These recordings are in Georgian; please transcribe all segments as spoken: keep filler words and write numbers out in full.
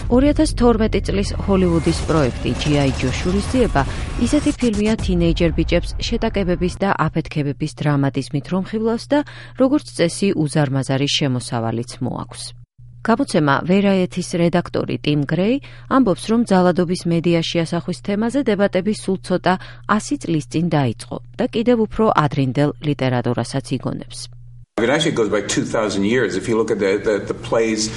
ორი ათას თორმეტი წლის ჰოლივუდის პროექტი ჯი აი ჯო შურისძიება ისეთი ფილმია თინეიჯერ ბიჭებს შეტაკებების და აფეთქებების დრამატიზმით რომ ხიბლავს და როგორც წესი უზარმაზარი შემოსავალიც მოაქვს. გამოცემა Variety-ის რედაქტორი ტიმ გრეი ამბობს, რომ ძალადობის მედიაში ასახვის თემაზე დებატები სულ ცოტა ასი წლის წინ დაიწყო და კიდევ უფრო ადრინდელ ლიტერატურასაც იგონებს. It actually goes back two thousand years if you look at the the, the plays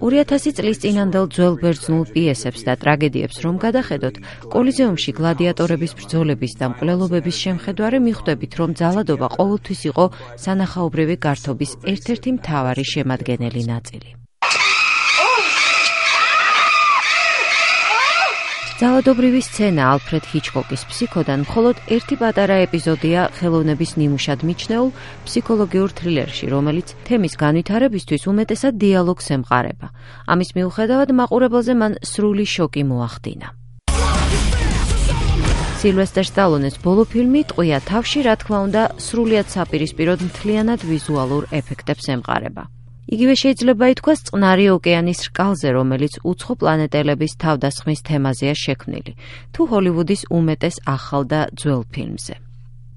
ორი ათასი წლის წინანდელ ძველ ბერძნულ პიესებს და ტრაგედიებს რომ გადახედოთ, კოლიზეუმში გლადიატორების ბრძოლების და მკვლელობების შემხედვარე მიხვდებით, რომ ძალადობა ყოველთვის იყო სანახაობრივი გართობის ერთ-ერთი მთავარი შემადგენელი ნაწილი. ძალადობრივი სცენა ალფრედ ჰიჩკოკის ფსიქოდან მხოლოდ ერთი პატარა ეპიზოდია ხელოვნების ნიმუშად მიჩნეულ ფსიქოლოგიურ თრილერში, რომელიც თემის განვითარებისთვის უმეტესად დიალოგს ემყარება. ამის მიუხედავად მაყურებელზე მან სრული შოკი მოახდინა. სილვესტერ სტალონეს ბოლო ფილმი ტყვია თავში, რა თქმა უნდა, სრულიად საპირისპიროდ მთლიანად ვიზუალურ ეფექტებს ემყარება. იგივე შეიძლება ითქვას წყნარი ოკეანის რკალზე, რომელიც უცხო პლანეტელების თავდასხმის თემაზეა შექმნილი, თუ ჰოლივუდის უმეტეს ახალ და ძველ ფილმზე.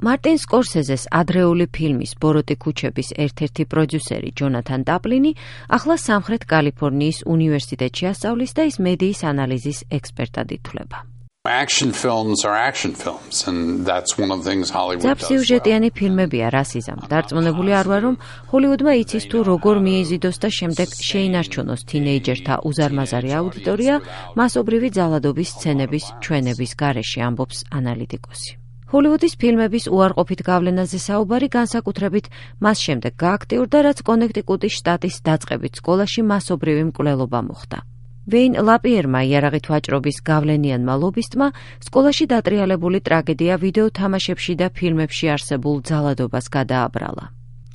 მარტინ სკორსეზეს ადრეული ფილმის ბოროტი ქუჩების ერთ-ერთი პროდიუსერი ჯონათან ტაპლინი ახლა სამხრეთ კალიფორნიის უნივერსიტეტში ასწავლის და ის მედიის ანალიზის ექსპერტად ითვლება. Action films are action films and that's one of the things Hollywood does. ძაფსიუჟეტიანი ფილმებია რასიზამ. დარწმუნებული არ ვარ, რომ ჰოლივუდმა იცის თუ როგორ მიეზიდოს და შემდეგ შეინარჩუნოს თინეიჯერთა უზარმაზარი აუდიტორია მასობრივი ძალადობის სცენების ჩვენების გარეშე, ამბობს ანალიტიკოსი. ჰოლივუდის ფილმების უარყოფით გავლენაზე საუბარი განსაკუთრებით მას შემდეგ გააქტიურდა, რაც კონექტიკუტის შტატის დაწყებით სკოლაში მასობრივი მკვლელობა მოხდა. ვეინ ლაპიერმა იარაღით ვაჭრობის გავლენიანმა ლობისტმა სკოლაში დატრიალებული ტრაგედია ვიდეო თამაშებში და ფილმებში არსებულ ძალადობას გადააბრალა.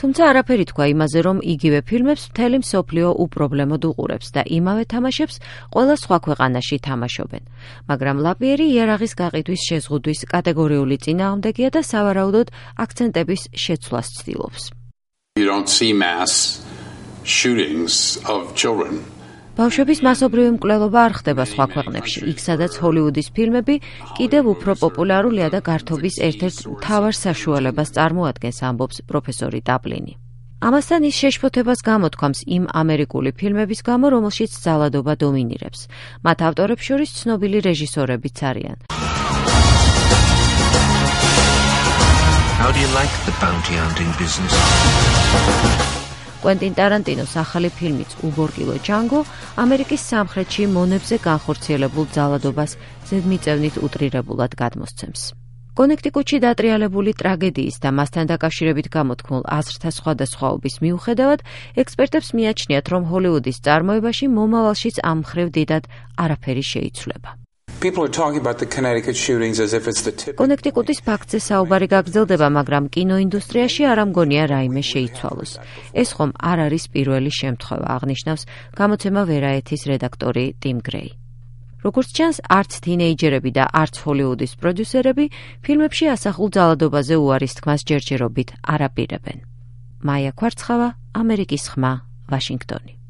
თუმცა არაფერი თქვა იმაზე, რომ იგივე ფილმებს მთელი მსოფლიო უპრობლემოდ უყურებს და იმავე თამაშებს ყველა სხვა ქვეყანაში თამაშობენ. მაგრამ ლაპიერი იარაღის გაყიდვის შეზღუდვის კატეგორიული წინააღმდეგია და სავარაუდოდ აქცენტების შეცვლას ცდილობს. You don't see mass shootings of children. ბავშვების მასობრივი მკვლელობა არ ხდება სხვა ქვეყნებში, იქ სადაც ჰოლივუდის ფილმები კიდევ უფრო პოპულარულია და გართობის ერთ-ერთ მთავარ საშუალებას წარმოადგენს, ამბობს პროფესორი ტაპლინი. ამასთან ის შეშფოთებას გამოთქვამს იმ ამერიკული ფილმების გამო, რომელშიც ძალადობა დომინირებს. მათ ავტორებს შორის ცნობილი რეჟისორებიც არიან. How do you like the bounty hunting business? კვენტინ ტარანტინოს ახალი ფილმიც უბორკილო ჯანგო ამერიკის სამხრეთში მონებზე განხორციელებულ ძალადობას ზედმიწევნით უტრირებულად გადმოსცემს. კონექტიკუტში დატრიალებული ტრაგედიის და მასთან დაკავშირებით გამოთქმულ აზრთა სხვადასხვაობის მიუხედავად, ექსპერტებს მიაჩნიათ, რომ ჰოლივუდის წარმოებაში მომავალშიც ამ მხრივ დიდად არაფერი შეიცვლება. People are talking about the Connecticut shootings as if it's the tip. კონექტიკუტის ფაქტზე საუბარი გაგრძელდება, მაგრამ კინოინდუსტრიაში არ ამგონია რაიმე შეიცვალოს. ეს ხომ არ არის პირველი შემთხვევა, აღნიშნავს გამოცემა Variety-ის რედაქტორი ტიმ გრეი. როგორც ჩანს, არც თინეიჯერები და არც ჰოლივუდის პროდიუსერები ფილმებში ასახულ ძალადობაზე უარის თქმას ჯერჯერობით არ აპირებენ. მაია ქვარცხავა, ამერიკის ხმა, ვაშინგტონი.